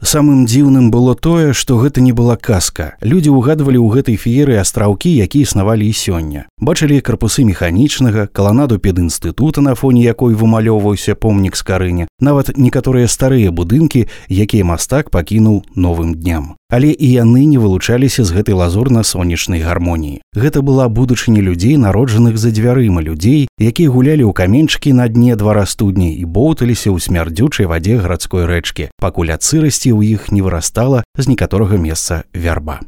Самым дзіўным было тое, што гэта не была казка. Людзі ўгадвалі ў гэтай фееры астраўкі, якія існавалі і сёння. Бачылі карпусы механічнага, каланаду педінстытута, на фоне якой вымалёўваўся помнік Скарыне, нават некаторыя старыя будынкі, якія мастак пакінуў новым дням. Але і яны не вылучаліся з гэтай лазурна-сонечнай гармоніі. Гэта была будучыня людзей, народжаных за дзвярыма, людзей, якія гулялі ў каменчыкі на дне двара студні і боўталіся ў смярдзючай вадзе гарадской рэчкі, пакуль ад сырасці ў іх не вырастала з некаторага месца вярба.